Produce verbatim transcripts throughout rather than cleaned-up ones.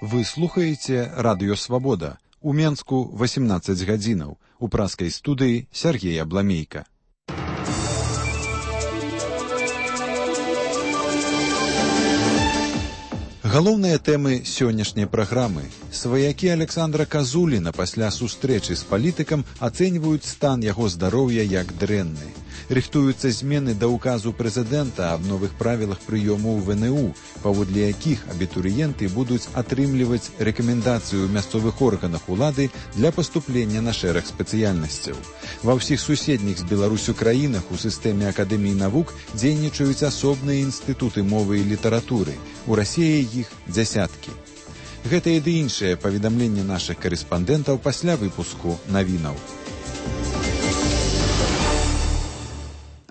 Вы слухаеце Радыё Свабода. У Менску восемнадцаць гадзінаў. У праскай студыі Сергей Абламейка. Галоўныя тэмы сённяшняй праграмы. Сваякі Александра Казуліна пасля сустрэчы з палітыкам ацэньваюць стан яго здароўя як дрэнны. Рыхтуюцца змены да ўказу прэзідэнта аб новых правілах прыёму ў вэ эн у, паводле якіх абітурыенты будуць атрымліваць рэкамендацыю ў мясцовых органах улады для паступлення на шэраг спецыяльнасцяў. Ва ўсіх суседніх з Беларусю краінах у сістэме акадэміі навук дзейнічаюць асобныя інстытуты мовы і літаратуры. У Расіі іх дзясяткі. Гэтае ды іншае паведамленне нашых карэспандэнтаў пасля выпуску навінаў.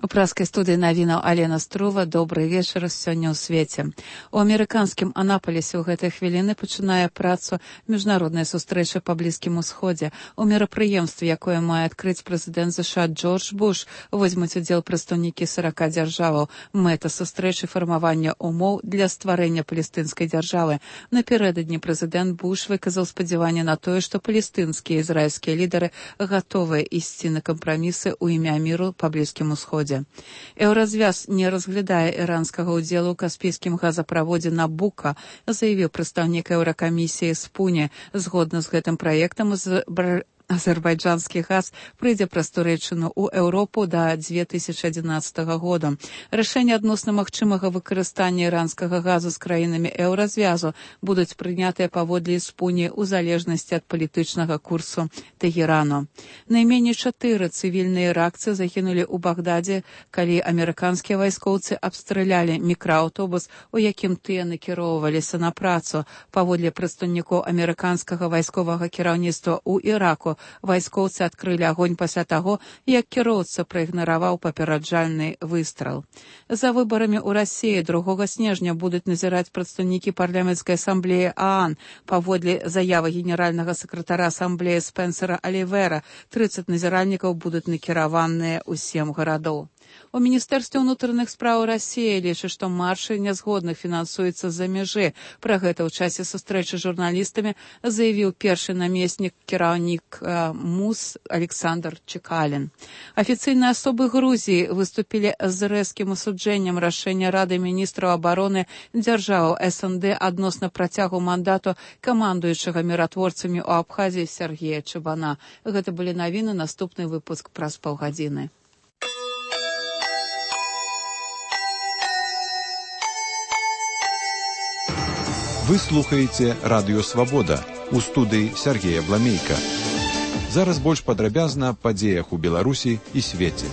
У праскай студыі навінаў Алена Струва. Добрый вечар сёння ў свеце. У амерыканскім Анапалісе ў гэтай хвіліны пачынае працу міжнародная сустрэча па Блізкім Усходзе. У мерапрыемстве, якое мае адкрыць прэзідэнт ЗША Джордж Буш, возьмуць удзел прадстаўнікі сарака дзяржаваў. Мэта сустрэчы фармавання умоў для стварэння палестынскай дзяржавы. Напярэдадні прэзідэнт Буш выказаў спадзяванне на тое, што палестынскія і ізраільскія лідары гатовыя ісці на кампрамісы ў імя міру па Блізкім Усходзе. Еўразвяз не разглядае іранскага ўдзелу ў каспійскім газаправодзе Набука, заявіў прадстаўнік Еўракамісіі Спуне. Згодна з гэтым праектам з азербайджанскі газ прыйдзе праз Турэччыну ў Еўропу да дзве тысячы адзінаццатага года. Рашэнне адносна магчымага выкарыстання іранскага газу з краінамі еўразвязу будуць прынятыя паводле Спуні ў залежнасці ад палітычнага курсу Тэгерану. Найменей чатыры цывільныя іракцы загінулі ў Багдадзе, калі амерыканскія вайскоўцы абстралялі мікрааўтобус, у якім тыя накіроўваліся на працу. Паводле прадстаўнікоў амерыканскага вайсковага кіраўніцтва ў Іраку, вайскоўцы адкрылі агонь пасля таго, як кіроўца праігнараваў папераджальны выстрал. За выбарамі ў Расіі другога снежня будуць назіраць прадстаўнікі парламенцкай асамблеі ААН. Паводле заявы генеральнага сакратара асамблеі Спенсера Алівера, трыццаць назіральнікаў будуць накіраваныя ў сем гарадоў. У Міністэрстве ўнутраных спраў Расіі лічыць, што маршы нязгодных фінансуюцца з-за мяжы. Пра гэта ў часе сустрэчы з журналістамі заявіў першы намеснік кіраўнік МУС Александр Чекалін. Афіцыйныя асобы Грузіі выступілі з рэзкім асуджэннем рашэння Рады міністраў абароны дзяржаваў эс эн дэ адносна працягу мандату камандуючага міратворцамі ў Абхазіі Сергея Чабана. Гэта былі навіны, наступны выпуск праз паўгадзіны. Вы слухаеце Радыё Свабода. У студыі Сергей Абламейка. Зараз больш падрабязна аб падзеях у Беларусі і свеце.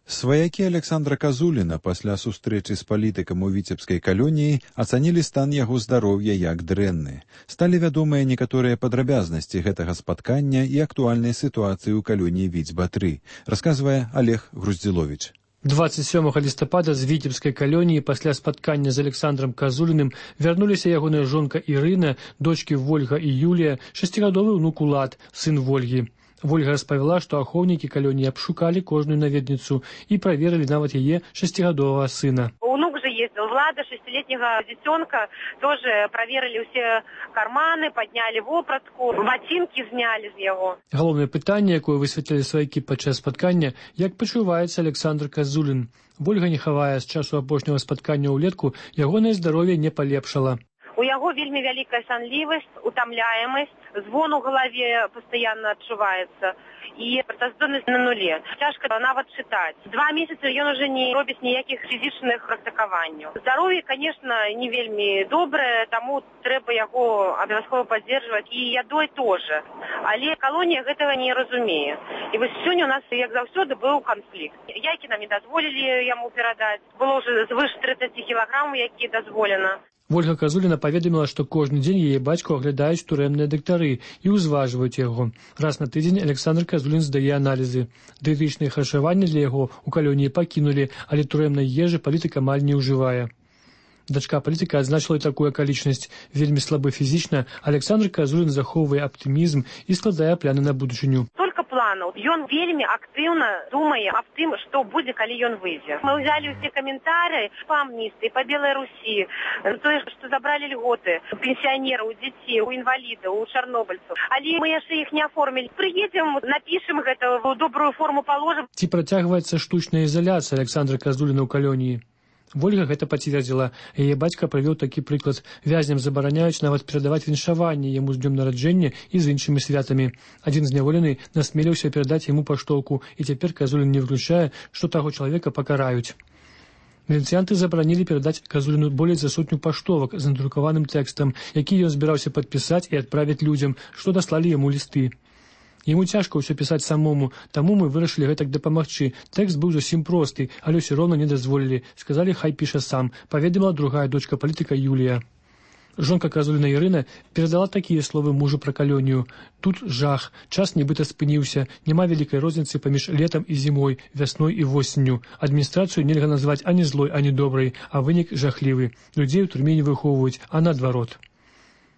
Сваякі Александра Казуліна пасля сустрэчы з палітыкам у віцебскай калоніі ацанілі стан яго здароўя як дрэнны. Сталі вядомыя некаторыя падрабязнасці гэтага спаткання і актуальнай сітуацыі ў калоніі Віцьба-тры, расказвае Олег Груздзіловіч. дваццаць сёмага лістапада з віцебскай калоніі пасля спаткання з Александрам Казуліным вярнуліся ягоная жонка Ірына, дочкі Вольга і Юлія, шасцігадовы ўнук Улад, сын Вольгі. Вольга распавяла, што ахоўнікі калоніі абшукалі кожную наведніцу і праверылі нават яе шасцігадовага сына. Унук же ездил, Влада, шестилетнего детенка, тоже проверили все карманы, подняли вопратку, ботинки зняли з яго. Галоўнае пытанне, якое высветлілі сваякі падчас спаткання, як пачуваецца Александр Казулін. Вольга не хавае, з часу апошняга спаткання ўлетку ягонае здароўе не палепшала. У яго вельмі вялікая сонливасць, утомляемасць, звон у галаве постоянно адчуваецца і працаздольнасць на нуле. Цяжка нават чытаць. Два месяцы ён уже не робіць ніякіх фізічных практыкаванняў. Здароўе, конечно, не вельмі добрае, таму трэба яго абавязкова паддзержваць і ядой тоже. Але калонія гэтага не разумее. І вось сёння у нас, як заўсёды, быў канфлікт. Яйкі нам не дазволілі яму перадаць. Было ўжо звыш трыццаць кілаграмаў, які дазволена. Вольга Казуліна паведаміла, што кожны дзень яе бацьку аглядаюць турэмныя дактары і ўзважваюць яго. Раз на тыдзень Александр Казулін здае аналізы. Дыетычнае харчаванне для яго ў калоніі пакінулі, але турэмнай ежы палітык амаль не ўжывае. Дачка палітыка адзначыла і такую акалічнасць. Вельмі слабы фізічна, Александр Казулін захоўвае аптымізм і складае планы на будучыню. планаў. Ён вельмі актыўна думае аб тым, што будзе, калі ён выйдзе. Мы ўзялі ўсе каментары па амністыі, па Белай Русі, тое, што забралі льготы у пенсіянераў, у дзяцей, у інвалідаў, у чарнобыльцаў. Але мы яшчэ іх не аформілі. Прыедзем, напішам гэта, ў добрую форму паложым. Ці працягваецца штучная ізаляцыя Александра Казуліна ў калоніі? Вольга гэта пацвердзіла. Яе бацька прывёў такі прыклад. Вязням забараняюць нават перадаваць віншаванне яму з днём нараджэння і з іншымі святамі. Адзін зняволены насмеліўся перадаць яму паштоўку, і цяпер Казулін не выключае, што таго чалавека пакараюць. Міліцыянты забаранілі перадаць Казуліну болей за сотню паштовак з надрукаваным тэкстам, які ён збіраўся падпісаць і адправіць людзям, што даслалі яму лісты. Яму цяжка ўсё пісаць самому, таму мы вырашылі гэтак дапамагчы. Тэкст быў зусім просты, але ўсё роўна не дазволілі. Сказалі, хай піша сам, паведаміла другая дочка палітыка Юлія. Жонка Казуліна Ірына перадала такія словы мужу пра калонію. Тут жах, час нібыта спыніўся, няма вялікай розніцы паміж летам і зімой, вясной і восенню. Адміністрацыю нельга назваць ані злой, ані добрай, а вынік жахлівы. Людзей у турме не выхоўваюць, а наадварот.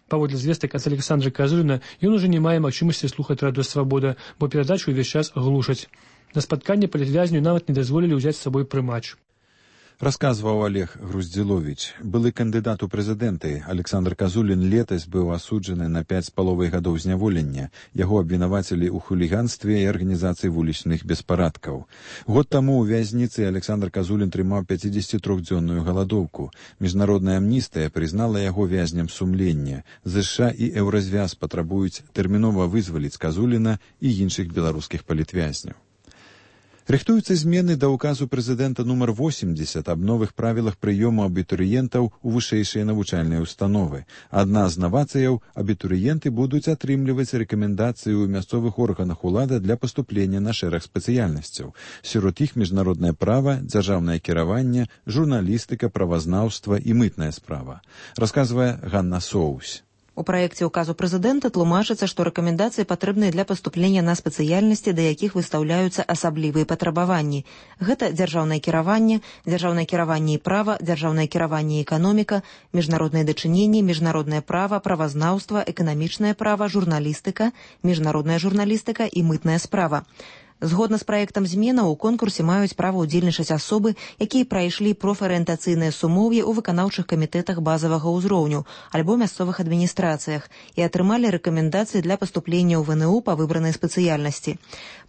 Паводле звестак ад Александра Казуліна, ён ужо не мае магчымасці слухаць радыё «Свабода», бо перадачу ўвесь час глушаць. На спатканне палітвязню нават не дазволілі ўзяць з сабой прымач. Расказваў Олег Груздзіловіч. Былы кандыдат у прэзідэнты Александр Казулін летась быў асуджаны на пяць з паловай гадоў зняволення. Яго абвінавацілі ў хуліганстве і арганізацыі вулічных беспарадкаў. Год таму ў вязніцы Александр Казулін трымаў пяцідзесятитрохдзённую галадоўку. Міжнародная амністыя прызнала яго вязням сумлення. ЗША і Еўразвяз патрабуюць тэрмінова вызваліць Казуліна і іншых беларускіх палітвязняў. Рыхтуюцца змены да ўказу прэзідэнта нумар восемьдесят аб новых правілах прыёму абітурыентаў у вышэйшыя навучальныя установы. Адна з навацыяў – абітурыенты будуць атрымліваць рэкамендацыі ў мясцовых органах улады для паступлення на шэраг спецыяльнасцяў. Сярод іх міжнароднае права, дзяржаўнае кіраванне, журналістыка, правазнаўства і мытная справа. Расказвае Ганна Соусь. У праекце ўказу прэзідэнта тлумачыцца, што рэкамендацыі патрэбныя для паступлення на спецыяльнасці, да якіх выстаўляюцца асаблівыя патрабаванні. Гэта дзяржаўнае кіраванне, дзяржаўнае кіраванне і права, дзяржаўнае кіраванне і эканоміка, міжнародныя дачыненні, міжнароднае права, правазнаўства, эканамічнае права, журналістыка, міжнародная журналістыка і мытная справа. Згодна з праектам зменаў у конкурсе маюць права ўдзельнічаць асобы, якія прайшлі профарыентацыйныя сумоўі ў выканаўчых камітэтах базавага ўзроўню альбо мясцовых адміністрацыях і атрымалі рэкамендацыі для паступлення ў ВНУ па выбранай спецыяльнасці.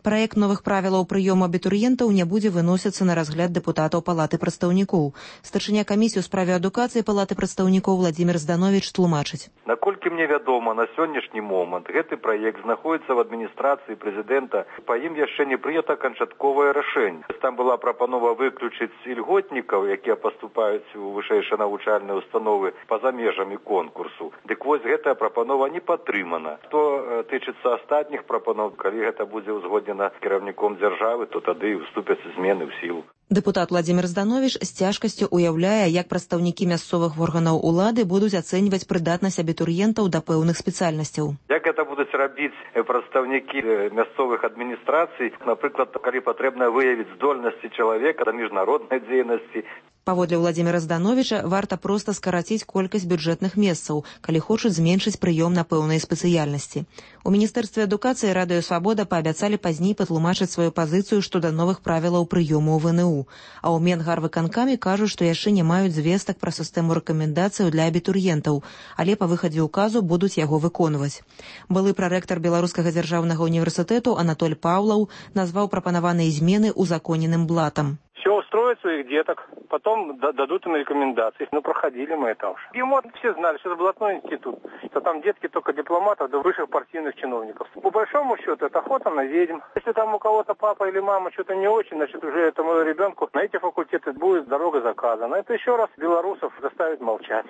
Праект новых правілаў прыёму абітурыентаў не будзе выносіцца на разгляд дэпутатаў Палаты прадстаўнікоў. Старшыня камісіі ў справе адукацыі Палаты прадстаўнікоў Владзімір Здановіч тлумачыць. Наколькі мне вядома, на сённяшні момант гэты праект знаходзіцца в адміністрацыі прэзідэнта, па ім яшчэ не прынята канчатковае рашэнне. Там была прапанова выключыць ільготнікаў, якія паступаюць у вышэйшыя навучальныя установы па-за межамі конкурсу. Дык вось гэтая прапанова не падтрымана. Што тычыцца астатніх прапанов, калі гэта будзе ўзгоднена кіраўніком дзяржавы, то тады і ўступяць змены ў сілу. Дэпутат Владзімір Здановіч з цяжкасцю уяўляе, як прадстаўнікі мясцовых органаў улады будуць ацэньваць прыдатнасць абітурыентаў да пэўных спецыяльнасцяў. Як гэта будуць рабіць прадстаўнікі мясцовых адміністрацый, напрыклад, калі патрэбна выявіць здольнасці чалавека да міжнароднай дзейнасці. Паводле Владзіміра Здановіча, варта проста скараціць колькасць бюджэтных месцаў, калі хочуць зменшыць прыём на пэўныя спецыяльнасці. У Міністэрстве адукацыі Радыё Свабода паабяцалі пазней патлумачыць сваю пазіцыю што да новых правілаў прыёму ў ВНУ. А ў Менгарвыканкамі кажуць, што яшчэ не маюць звестак пра сістэму рэкамендацыяў для абітурыентаў, але па выхадзе ўказу будуць яго выконваць. Былы прарэктар Беларускага дзяржаўнага універсітэту Анатоль Паўлаў назваў прапанаваныя змены узаконеным блатам. Все устроят своих деток, потом дадут им рекомендации. Ну, проходили мы это уже. ГИМО все знали, что это блатной институт, что там детки только дипломатов до высших партийных чиновников. По большому счету, это охота на ведьм. Если там у кого-то папа или мама что-то не очень, значит, уже этому ребенку на эти факультеты будет дорога заказана. Это еще раз белорусов заставит молчать.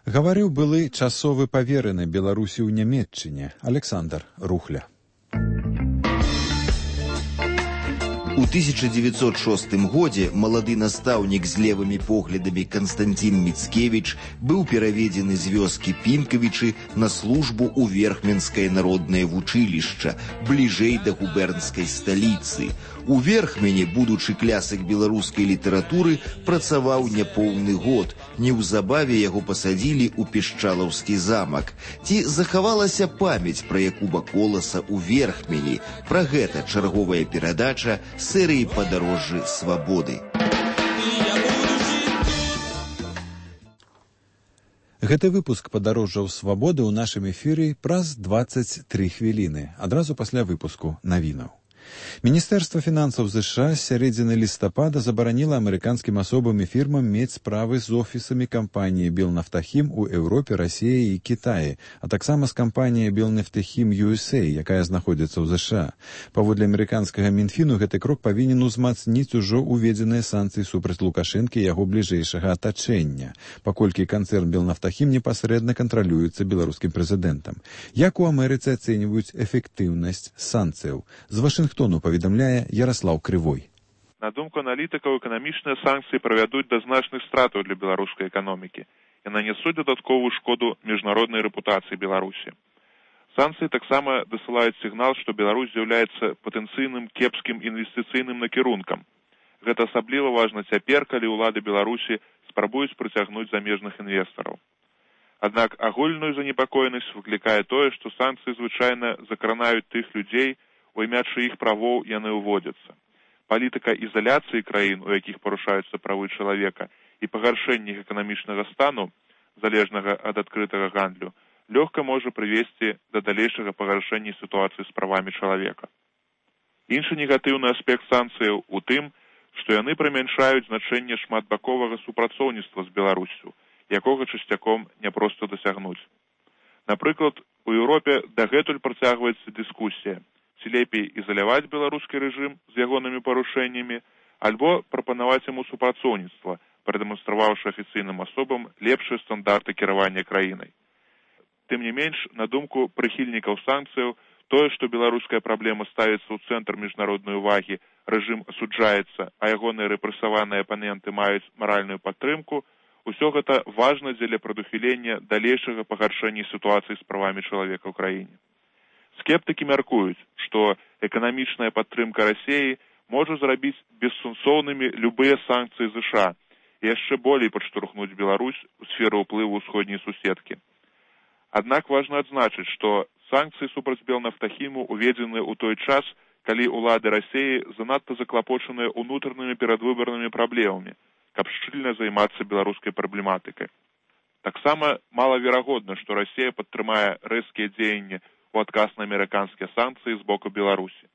Гаварыў былы часовы павераны Беларусі ў Нямецчыне Александр Рухля. У тысяча девятьсот шостым годзе малады настаўнік з левымі поглядамі Канстанцін Міцкевіч быў пераведзены з вёскі Пінкавічы на службу ў Верхменскае народнае вучылішча, бліжэй да губернскай сталіцы. У Верхмені будучы клясык беларускай літаратуры працаваў няпоўны год. Неўзабаве яго пасадзілі ў Пішчалаўскі замак. Ці захавалася памяць пра Якуба Коласа ў Верхмені? Пра гэта чарговая перадача серыі «Падарожжы свабоды». Гэты выпуск «Падарожжаў свабоды» ў нашым эфіры праз дваццаць тры хвіліны, адразу пасля выпуску навінаў. Міністэрства фінансаў ЗША з сярэдзіны лістапада забараніла амерыканскім асобам і фірмам мець справы з офісамі кампаніі «Белнафтахім» у Еўропе, Расіі і Кітаі, а таксама з кампаніяй «Белнафтахім ю эс эй», якая знаходзіцца ў ЗША. Паводле амерыканскага Мінфіну, гэты крок павінен узмацніць ужо уведзеныя санкцыі супраць Лукашэнкі і яго бліжэйшага атачэння, паколькі канцэрн «Белнафтахім» непасрэдна кантралюецца беларускім прэзідэнтам. Як у Амерыцы ацэньваюць эфектыўнасць санкцыяў? З Вашынгтону паведамляе Яраслаў Крывой. На думку аналітыкаў, эканамічныя санкцыі правядуць да значных стратаў для беларускай эканомікі і нанесуць дадатковую шкоду міжнароднай рэпутацыі Беларусі. Санкцыі таксама дасылаюць сігнал, што Беларусь з'яўляецца патэнцыйным кепскім інвестыцыйным накірункам. Гэта асабліва важна цяпер, калі ўлады Беларусі спрабуюць прыцягнуць замежных інвестараў. Аднак агульную занепакоенасць выклікае тое, што санкцыі звычайна закранаюць тых людзей, у імя чыіх правоў яны ўводзяцца. Палітыка ізаляцыі краін, у якіх парушаюцца правы чалавека, і пагаршэнне іх эканамічнага стану, залежнага ад адкрытага гандлю, лёгка можа прывесці да далейшага пагаршэння сітуацыі з правамі чалавека. Іншы негатыўны аспект санкцыяў у тым, што яны прымяншаюць значэнне шматбаковага супрацоўніцтва з Беларуссю, якога часцяком няпроста дасягнуць. Напрыклад, у Еўропе дагэтуль працягваецца дыскусія, ці лепей ізаляваць беларускі рэжым з ягонымі парушэннямі, альбо прапанаваць яму супрацоўніцтва, прадэманстраваўшы афіцыйным асобам лепшыя стандарты кіравання краінай. Тым не менш, на думку прыхільнікаў санкцыяў, тое, што беларуская праблема ставіцца ў цэнтр міжнароднай увагі, рэжым асуджаецца, а ягоныя рэпрэсаваныя апаненты маюць маральную падтрымку, усё гэта важна дзеля прадухілення далейшага пагаршэння сітуацыі з правамі чалавека ў краіне. Скептыкі мяркуюць, што эканамічная падтрымка Расіі можа зрабіць бессэнсоўнымі любыя санкцыі ЗША і яшчэ болей падштурхнуць Беларусь у сферу ўплыву ўсходняй суседкі. Аднак важна адзначыць, што санкцыі супраць Белнафтахіму уведзены ў той час, калі ўлады Расіі занадта заклапочаныя ўнутранымі перадвыбарнымі праблемамі, каб шчыльна займацца беларускай праблематыкай. Таксама малаверагодна, што Расія падтрымае рэзкія дзеянні у адказ на амерыканскія санкцыі з боку Беларусі.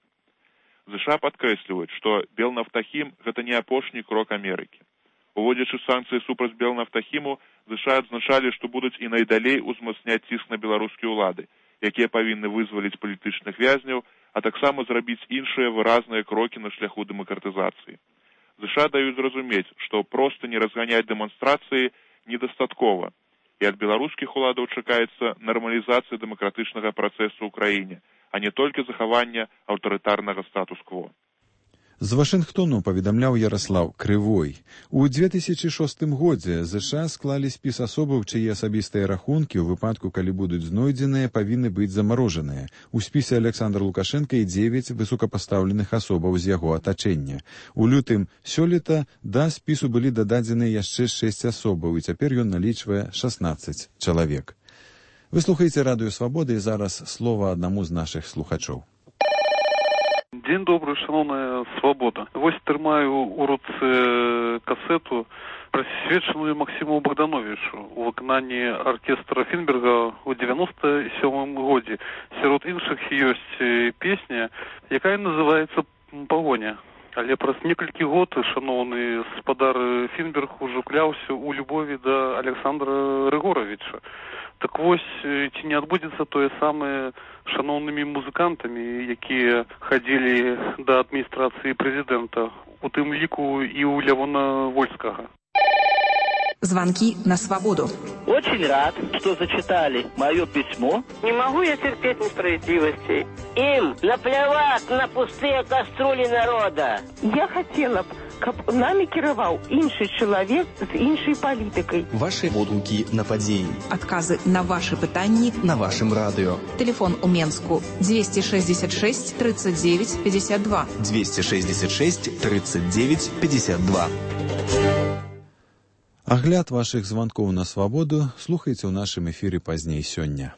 ЗША падкрэсліваюць, што Белнафтахім – гэта не апошні крок Амерыкі. Уводзячы санкцыі супраць Белнафтахіму, ЗША адзначалі, што будуць і найдалей узмацняць ціск на беларускія ўлады, якія павінны вызваліць палітычных вязняў, а таксама зрабіць іншыя выразныя крокі на шляху дэмакратызацыі. ЗША даюць зразумець, што проста не разганяць дэманстрацыі недастаткова, і ад беларускіх уладаў чакаецца нармалізацыя дэмакратычнага працэсу ў краіне, а не толькі захавання аўтарытарнага статус-кво. З Вашынгтону паведамляў Яраслаў Крывой. У две тысячы шостым годзе ЗША склалі спіс асобаў, чые асабістыя рахункі ў выпадку, калі будуць знойдзеныя, павінны быць замарожаныя. У спісе Александр Лукашенко і дзевяць высокапастаўленых асобаў з яго атачэння. У лютым сёлета да спісу былі дададзеныя яшчэ шэсць асобаў, і цяпер ён налічвае шаснаццаць чалавек. Вы слухаеце Радыё Свабоды, і зараз слова аднаму з нашых слухачоў. Дзень добры, шановная свабода. Вось трымаю у руцэ касету, прысвечаную Максіму Богдановичу у выкананні аркестра Фінберга ў девяносто сёмым годзе. Сярод іншых ёсць песня, якая называецца «Пагоня». Але праз некалькі год шановны спадар Фінберг ужо кляўся ў любові да Александра Рыгоровича. Так вось, ці не адбудзецца тое самае шановнымі музыкантамі, якія хадзілі да адміністрацыі прэзідэнта, у тым ліку і ў Лявона Вольскага. Звонки на свободу. Очень рад, что зачитали мое письмо. Не могу я терпеть несправедливости. Им наплевать на пустые кастрюли народа. Я хотела бы, каб нами кіраваў іншы чалавек з іншай палітыкай. Ваши водгукі на падзеі. Адказы на ваши пытанні на вашым радыё. Телефон у Менску двести шестьдесят шесть тридцать девять пятьдесят два. двести шестьдесят шесть тридцать девять пятьдесят два. Агляд вашых званкоў на свабоду слухайце ў нашым эфіры пазней сёння.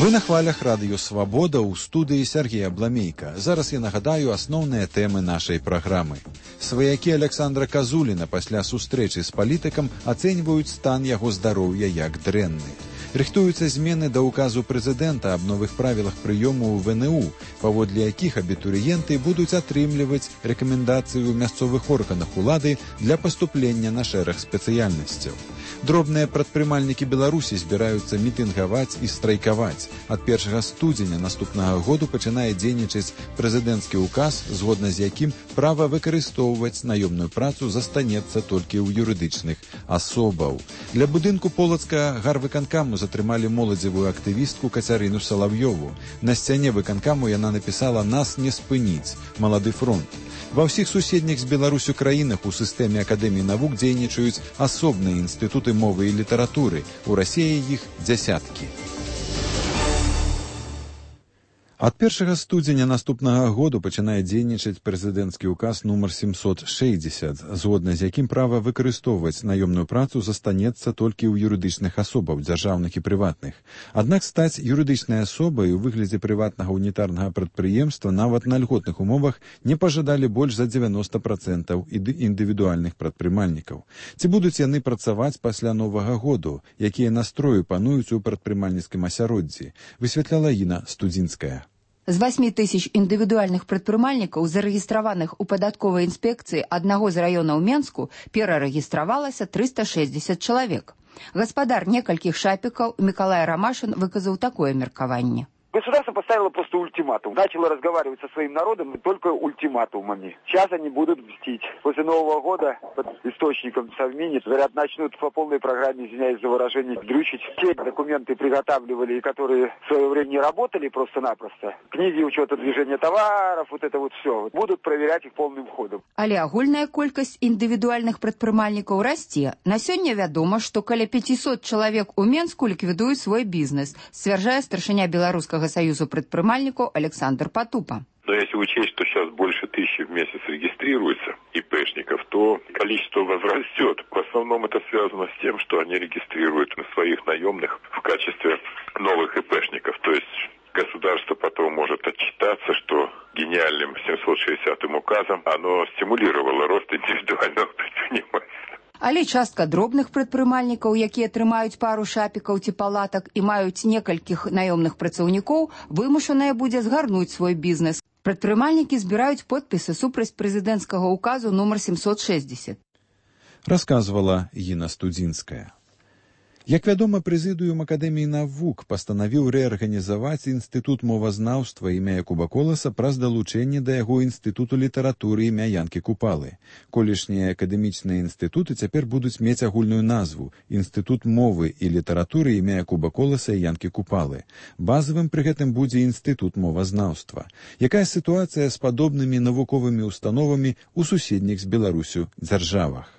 Вы на хвалях радыё «Свабода» ў студыі Сергея Бламейка. Зараз я нагадаю асноўныя тэмы нашай праграмы. Сваякі Александра Казуліна пасля сустрэчы з палітыкам ацэньваюць стан яго здароўя як дрэнны. Рыхтуюцца змены да ўказу прэзідэнта аб новых правілах прыёму ў вэ эн у, паводле якіх абітурыенты будуць атрымліваць рэкамендацыі ў мясцовых органах улады для паступлення на шэраг спецыяльнасцяў. Дробныя прадпрымальнікі Беларусі збіраюцца мітынгаваць і страйкаваць. Ад першага студзеня наступнага году пачынае дзейнічаць прэзідэнцкі ўказ, згодна з якім права выкарыстоўваць наёмную працу застанецца толькі ў юрыдычных асобаў. Для будынку Полацка гарвыканкаму затрымалі моладзевую актывістку Кацярыну Салав'ёву. На сцяне выканкаму яна напісала «Нас не спыніць. Малады фронт». Ва ўсіх суседніх з Беларусю краінах у сістэме Акадэміі навук дзейнічаюць асобныя інстытуты мовы і літаратуры. У Расіі іх дзясяткі. Ад першага студзеня наступнага году пачынае дзейнічаць прэзідэнцкі ўказ нумар семьсот шэсцьдзесят, згодна з якім права выкарыстоўваць наёмную працу застанецца толькі ў юрыдычных асобаў, дзяржаўных і прыватных. Аднак стаць юрыдычнай асобай у выглядзе прыватнага унітарнага прадпрыемства нават на льготных умовах не пажадалі больш за дзевяноста процентаў індывідуальных прадпрымальнікаў. Ці будуць яны працаваць пасля новага году, якія настроі пануюць у прадпрымальніцкім асяроддзі, высвятляла Інна Студзінская. З восьмі тысяч індывідуальных прадпрымальнікаў, зарэгістраваных у падатковай інспекцыі аднаго з раёнаў Менску, перарэгістравалася трыста шэсцьдзесят чалавек. Гаспадар некалькіх шапікаў Мікалай Рамашын выказаў такое меркаванне. Государство поставило просто ультиматум. Начало разговаривать со своим народом только ультиматумами. Сейчас они будут мстить. После Нового года под источником Совмини, говорят, начнут по полной программе, извиняюсь за выражение, дрючить. Те документы приготавливали, которые в свое время не работали просто-напросто. Книги учета движения товаров, вот это вот все. Будут проверять их полным ходом. Але агульная колькасць індывідуальных прадпрымальнікаў расце. На сёння вядома, што каля пятьсот чалавек у Менску ліквідуюць свой бізнес, сцвярджае старшыня беларускага Союза предпринимальников Александр Потупа. Но если учесть, что сейчас больше тысячи в месяц регистрируется ИПшников, то количество возрастет. В основном это связано с тем, что они регистрируют своих наемных в качестве новых ИПшников. То есть государство потом может отчитаться, что гениальным семьсот шестидесятым указом оно стимулировало рост индивидуального предпринимательства. Але частка дробных прадпрымальнікаў, якія трымаюць пару шапікаў ці палатак і маюць некалькіх наёмных працаўнікоў, вымушаная будзе згарнуць свой бізнес. Прадпрымальнікі збіраюць подпісы супраць прэзідэнцкага ўказу нумар семьсот шэсцьдесят. Расказвала Інна Студзінская. Як вядома, прэзідыум Акадэміі навук пастанавіў рэарганізаваць інстытут мовазнаўства імя Якуба Коласа праз далучэнне да яго інстытуту літаратуры імя Янкі Купалы. Колішнія акадэмічныя інстытуты цяпер будуць мець агульную назву інстытут мовы і літаратуры імя Якуба Коласа і Янкі Купалы. Базавым пры гэтым будзе інстытут мовазнаўства. Якая сітуацыя з падобнымі навуковымі установамі ў суседніх з Беларусю дзяржавах?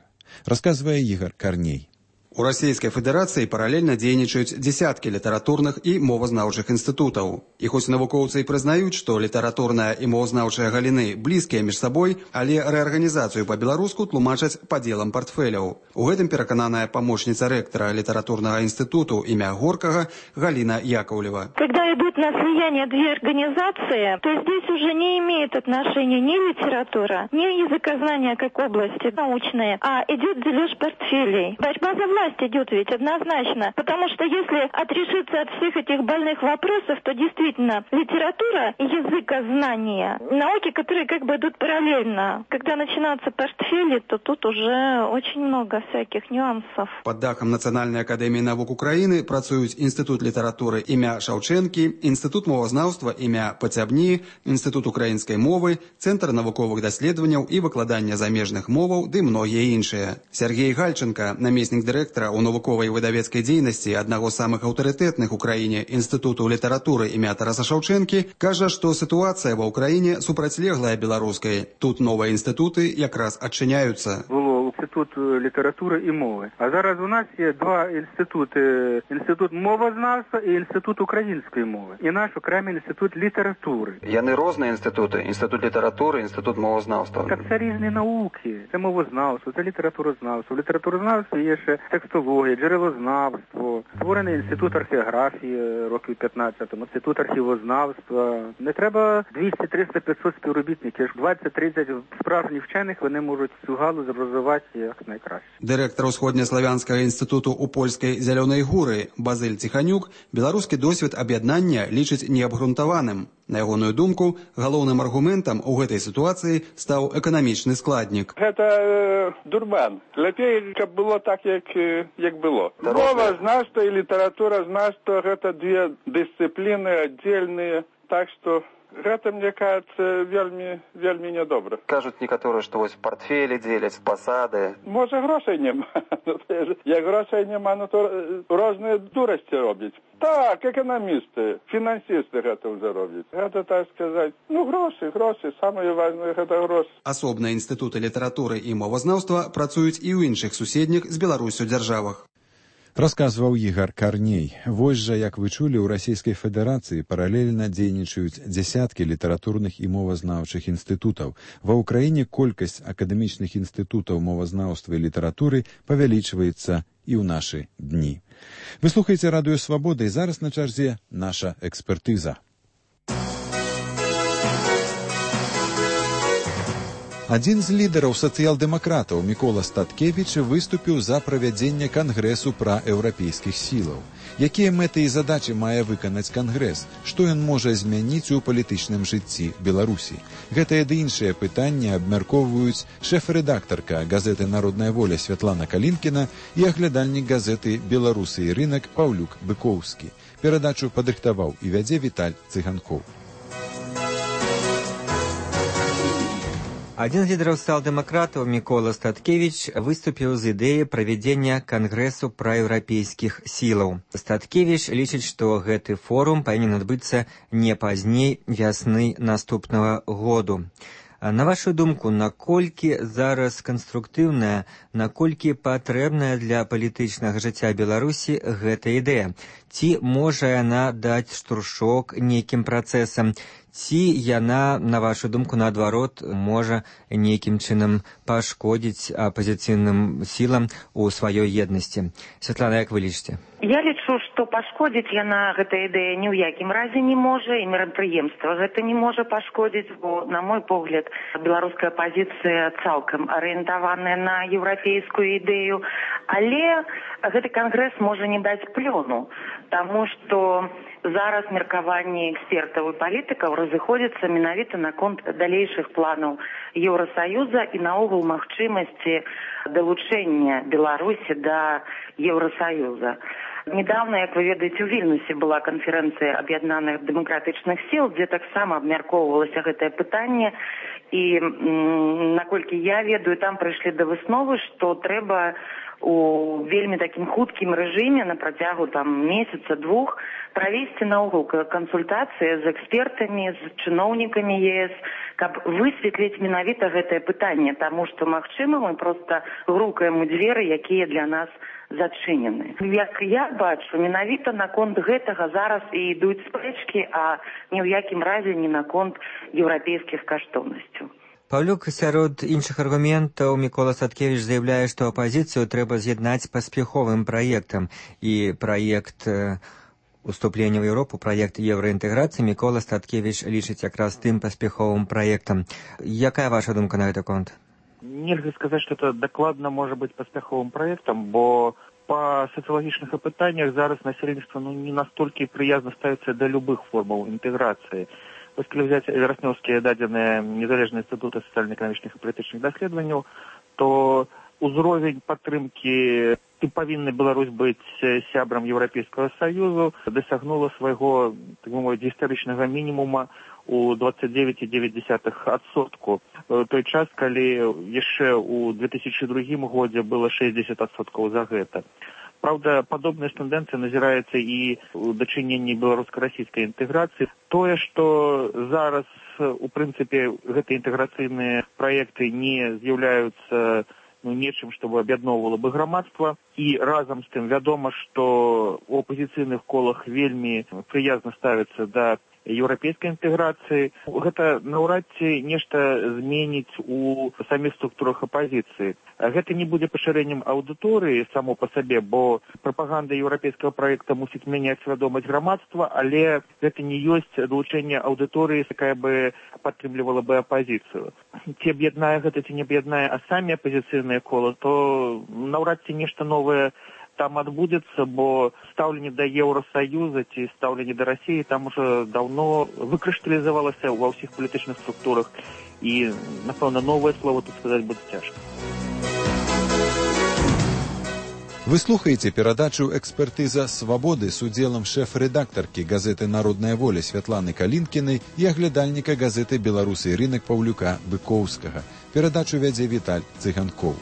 Расказвае Ігор Карней. У Российской Федерации параллельно дзейнічаюць десятки літаратурных і мовазнаўчых інстытутаў. І хоць навукоўцы і прызнаюць, што літаратурная і мовазнаўчая галіны блізкія між сабой, але рэарганізацыю па-беларуску тлумачаць падзелам партфеляў. У гэтым перакананая памочніца рэктара літаратурнага інстытуту імя Горкага Галина Яковлева. Когда идут на слияние две организации, то здесь уже не имеет отношения ни литература, ни языкознание как области научные, а идет дележ портфелей. Борьба за власть идет ведь однозначно, потому что если отрешиться от всех этих больных вопросов, то действительно литература и языкознание, науки, которые как бы идут параллельно. Когда начинаются портфели, то тут уже очень много всяких нюансов. Под дахом Национальной академии наук Украины працуюць Институт литературы імя Шаўчэнкі, Институт мовазнаўства імя Пацябні, Институт украинской мовы, Центр навуковых даследаванняў і выкладання замежных моваў ды многія іншыя. Сергей Гальченко, намеснік дырэктара дырэктара ў навуковай выдавецкай дзейнасці аднаго з самых аўтарытэтных у краіне інстытуту літаратуры імя Тараса Шаўчэнкі, кажа, што сітуацыя ва ўкраіне супрацьлеглая беларускай. Тут новыя інстытуты якраз адчыняюцца. Інститут літератури і мови. А зараз у нас є два інститути. Інститут мовознавства і інститут української мови. І наш окремий інститут літератури. Яны розныя інституты. Інститут літератури, інститут мовознавства. Так це різні науки. Це мовознавство, це літературознавство. В літературознавстві є ще текстологія, джерелознавство. Створений інститут археографії років п'ятнадцять, інститут архівознавства. Не треба двісті, триста, п'ятсот співробітників. двадцять-тридцять справжніх вчених вони можуть цю галузь розвивати як найкраще. Дырэктар Усходнеславянскага інстытуту ў польскай зялёнай гуры Базыль Ціханюк беларускі досвед аб'яднання лічыць неабгрунтаваным. На ягоную думку, галоўным аргументам у гэтай сітуацыі стаў эканамічны складнік. Гэта э, дурман. Лепей, каб было так, як, як было. Мова знаўства і літаратура знаўства гэта две дысцыпліны аддзельныя, так што гэта, мне кажется, вельмі, вельмі нядобра. Кажуць некаторыя, што вось партфелі дзеляць, пасады. Можа, грошай няма. Як грошай няма, ну то розныя дурасці робяць. Так, эканамісты, фінансісты гэта ўжо робяць. Гэта, так сказаць, ну, грошы, грошы, самае важнае гэта грошы. Асобныя інстытуты літаратуры і мовазнаўства працуюць і ў іншых суседніх з Беларусю дзяржавах. Расказваў Ігар Карней. Вось жа, як вы чулі, у Расійскай Федэрацыі паралельна дзейнічаюць дзясяткі літаратурных і мовазнаўчых інстытутаў. Ва ўкраіне колькасць акадэмічных інстытутаў мовазнаўства і літаратуры павялічваецца і ў нашы дні. Вы слухаеце радыё Свабода, і зараз на чарзе наша экспертыза. Адзін з лідараў сацыял-дэмакратаў Мікола Статкевіч выступіў за правядзенне кангрэсу праеўрапейскіх сілаў. Якія мэты і задачы мае выканаць кангрэс? Што ён можа змяніць у палітычным жыцці Беларусі? Гэтае ды іншыя пытанні абмяркоўваюць шэф-рэдактарка газеты «Народная воля» Святлана Калінкіна і аглядальнік газеты «Беларусы і рынак» Паўлюк Быкоўскі. Перадачу падрыхтаваў і вядзе Віталь Цыганкоў. Адзін з лідараў сацыял-дэмакратаў Мікола Статкевіч выступіў з ідэяй правядзення кангрэсу праеўрапейскіх сілаў. Статкевіч лічыць, што гэты форум павінен адбыцца не пазней вясны наступнага году. На вашу думку, наколькі зараз канструктыўная, наколькі патрэбная для палітычнага жыцця Беларусі гэта ідэя? Ці можа яна даць штуршок нейкім працэсам? Ці яна, на вашу думку, наадварот, можа нейкім чынам пашкодзіць апазіцыйным сілам у сваёй еднасці? Святлана, як вы лічыце? Я лічу, што пашкодзіць яна, гэта ідэя, ні ў якім разе не можа, і мерапрыемства гэта не можа пашкодзіць, бо, на мой погляд, беларуская пазіцыя цалкам арыентаваная на еўрапейскую ідэю, але гэты кангрэс можа не даць плёну, таму што зараз меркаванні экспертаў і палітыкаў разыходзяцца менавіта наконт далейшых планаў Еўрасаюза і наогул магчымасці далучэння Беларусі да Еўрасаюза. Недавно, як вы ведаеце, у Вільнюсе была канферэнцыя аб'яднаных дэмакратычных сіл, дзе таксама абмяркоўвалася гэтае пытанне, і наколькі я ведаю, там прыйшлі да высновы, што трэба у вельмі такім хуткім рэжыме на працягу там месяца-двух правесці наогул кансультацыі з экспертамі, з чыноўнікамі ЕС, каб высветліць менавіта гэтае пытанне, таму што, магчыма, мы проста грукаем у дзверы, якія для нас зачынены. Як я бачу, менавіта наконт гэтага зараз і ідуць спрэчкі, а ні ў якім разе не наконт еўрапейскіх каштоўнасцяў. Паўлюк, сярод іншых аргументаў Мікола Статкевіч заяўляе, што апазіцыю трэба з'яднаць паспяховым праектам, і праект уступлення ў Еўропу, праект еўраінтэграцыі Мікола Статкевіч лічыць якраз тым паспяховым праектам. Якая ваша думка на гэты конт? Нельзя сказаць, што это дакладна можа быць паспяховым праектам, бо па сацыялагічных апытаннях зараз насельніцтва ну, не настолькі прыязна ставіцца да любых формаў інтэграцыі. Вось калі взять вераснёўскія дадзеныя незалежныя інстытуты сацыяльна-эканамічных і палітычных даследаванняў, то ўзровень падтрымкі ці павінна Беларусь быць сябрам Еўрапейскага Саюзу, дасягнула свайго, так бы мовіць, гістарычнага мінімума у двадцать девять и девять десятых адсотку. Той час, калі яшчэ ў две тысячи другім годзе было шестьдесят адсоткаў за гэта. Праўда, падобная тэндэнцыя назіраецца і ў дачыненні беларуска-расійскай інтэграцыі. Тое, што зараз, у прынцыпе, гэтыя інтэграцыйныя праекты не з'яўляюцца ну, нечым, што аб'ядноўвала бы грамадства. І разам з тым вядома, што ў апазіцыйных колах вельмі прыязна ставіцца да еўрапейскай інтэграцыі. Гэта наўрад ці нешта зменіць у саміх структурах апазіцыі. Гэта не будзе пашырэннем аўдыторыі само па сабе, бо прапаганда еўрапейскага праекта мусіць мяняць свядомасць грамадства, але гэта не ёсць далучэнне аўдыторыі, якая бы падтрымлівала бы апазіцыю. Ці аб'яднае гэта, ці не аб'яднае, а самі апазіцыйныя кола, то наўрад ці нешта новае там адбудзецца, бо стаўленне да Еўрасаюза ці стаўленне да Расіі там уже даўно выкрышталізавалася ва ўсіх палітычных структурах, і, напэўна, новае слово тут сказаць будзе цяжка. Вы слухаеце перадачу «Экспертыза свабоды» з удзелам шэф-рэдактаркі газеты «Народная воля» Святланы Калінкінай і аглядальніка газеты «Беларусы і рынак» Паўлюка Быкоўскага. Перадачу вядзе Віталь Цыганкоў.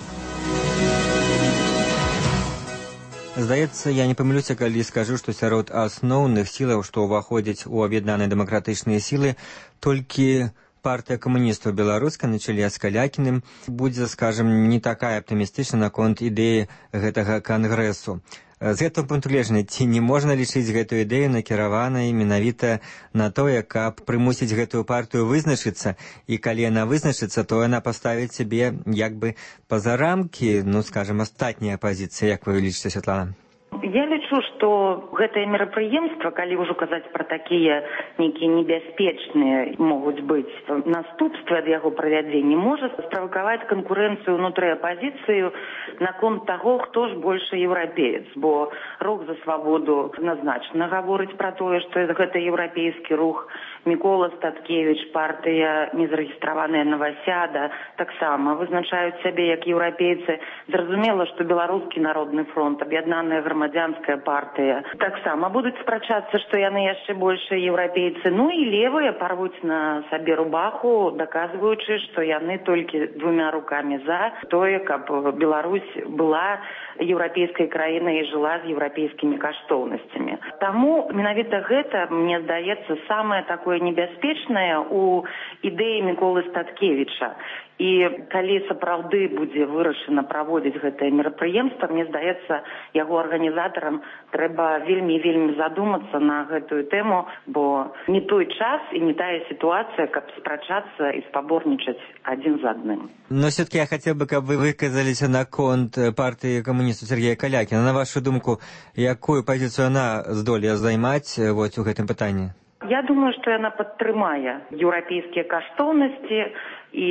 Здаецца, я не памылюся, калі скажу, што сярод асноўных сілаў, што ўваходзяць у аб'яднаныя дэмакратычныя сілы, толькі партыя камуністаў беларускай на чале з Калякіным будзе, скажам, не такая аптымістычна наконт ідэі гэтага кангрэсу. З гэтага пункту гледжання, ці не можна лічыць гэтую ідэю накіраванай менавіта на тое, каб прымусіць гэтую партыю вызначыцца, і калі яна вызначыцца, то яна паставіць сябе як бы па-за рамкі, ну, скажам, астатняй апазіцыі, як вы лічыце, Святлана? Я лічу, што гэтае мерапрыемства, калі ўжо казаць пра такія нейкія небяспечныя могуць быць наступствы ад яго правядзення, можа справакаваць канкурэнцыю ўнутры апазіцыю наконт таго, хто ж большы еўрапеец, бо рух за свабоду адназначна гаворыць пра тое, што гэта еўрапейскі рух. Мікола Статкевіч, партыя незарэгістраваная Новасяда, таксама вызначаюць сябе як еўрапейцы. Зразумела, што Беларускі народны фронт, аб'яднаная грамадзянская партыя, таксама будуць спрачацца, што яны яшчэ большыя еўрапейцы. Ну і левыя парвуць на сабе рубаху, даказваючы, што яны толькі двумя рукамі за тое, каб Беларусь была еўрапейскай краінай і жыла з еўрапейскімі каштоўнасцямі. Таму менавіта гэта, мне здаецца, самае такое небяспечнае у ідэі Міколы Статкевіча. І калі сапраўды будзе вырашана праводзіць гэтае мерапрыемства, мне здаецца, яго арганізатарам трэба вельмі-вельмі задумацца на гэтую тэму, бо не той час і не тая сітуацыя, каб спрачацца і спаборнічаць адзін з адным. Но все-таки я хотел бы, каб вы выказаліся наконт партыі камуністаў Сергея Калякіна. На вашу думку, якую пазіцыю яна здолее займаць вот у гэтым пытанні? Я думаю, што яна падтрымае еўрапейскія каштоўнасці, і,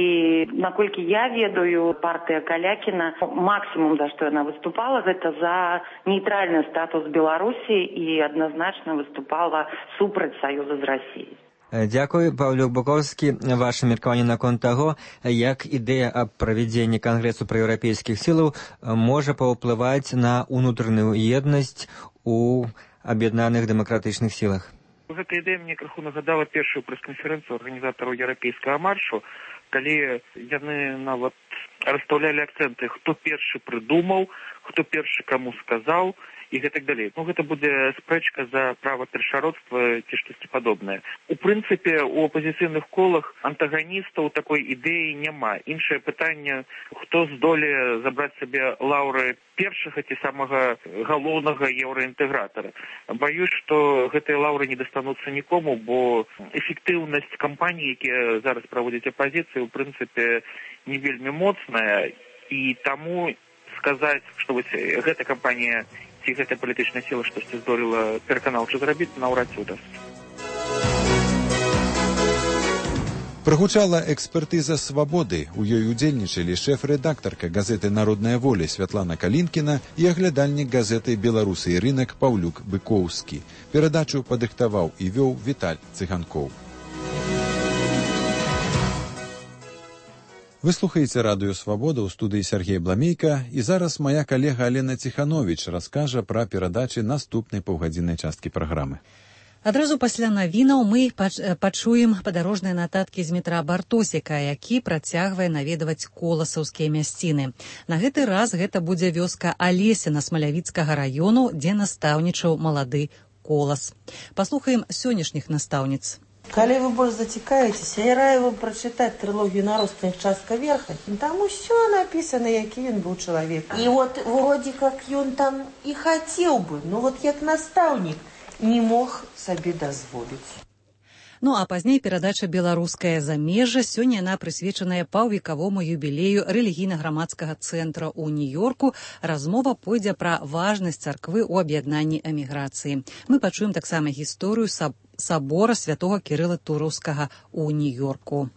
наколькі я ведаю, партыя Калякіна, максімум, за што яна выступала, гэта за нейтральны статус Беларусі і адназначна выступала супраць саюза з Расіяй. Дзякуй, Паўлюк Быкоўскі. Ваше меркаванне наконт таго, як ідэя аб правядзенні кангрэсу праеўрапейскіх сілаў можа паўплываць на ўнутраную еднасць у аб'яднаных дэмакратычных сілах. Гэта ідэя мне крыху нагадала першую прэс-канферэнцыю арганізатараў еўрапейскага маршу, калі яны нават расстаўлялі акцэнты, хто першы прыдумаў, хто першы каму сказаў і гэтак далей. Ну, гэта будзе спрэчка за права першародства ці штосьці падобнае. У прынцыпе, у апазіцыйных колах антаганістаў такой ідэі няма. Іншае пытанне, хто здолее забраць сабе лаўры першага ці самага галоўнага еўраінтэгратара. Баюсь, што гэтыя лаўры не дастануцца нікому, бо эфектыўнасць кампаній, якія зараз праводзяць апазіцыю, у прынцыпе, не вельмі моцная, і таму сказаць, што вось гэта кампанія ці гэта палітычная сіла штосьці здолела пераканаўча зрабіць, наўрад ці ўдасца. Прагучала экспертыза свабоды. У ёй удзельнічалі шэф-рэдактарка газеты «Народная воля» Святлана Калінкіна і аглядальнік газеты «Беларусы і рынак» Паўлюк Быкоўскі. Перадачу падрыхтаваў і вёў Віталь Цыганкоў. Вы слухаеце радыё «Свабода», ў студыі Сергей Бламейка, і зараз моя калега Алена Ціхановіч раскажа пра перадачы наступнай паўгадзіннай часткі праграмы. Адразу пасля навінаў мы пачуем падарожныя нататкі з метра Бартосіка, які працягвае наведваць коласаўскія мясціны. На гэты раз гэта будзе вёска Алесіна Смалявіцкага раёну, дзе настаўнічаў малады Колас. Паслухаем сённяшніх настаўніц. Калі вы больш зацікаецеся, я раю вам прачытаць трылогію «Наростных частка верха». Там усё напісана, які ён быў чалавек. І вот вроде как ён там і хацеў бы, но вот як настаўнік не мог сабе дазволіць. Ну а пазней перадача «Беларускае замежжа». Сёння яна прысвечаная паўвекавому юбілею рэлігійна-грамадскага цэнтра ў Нью-Йорку. Размова пойдзе пра важнасць царквы ў аб'яднанні эміграцыі. Мы пачуем таксама гісторыю сабора святого Кірыла Тураўскага ў Нью-Йорку.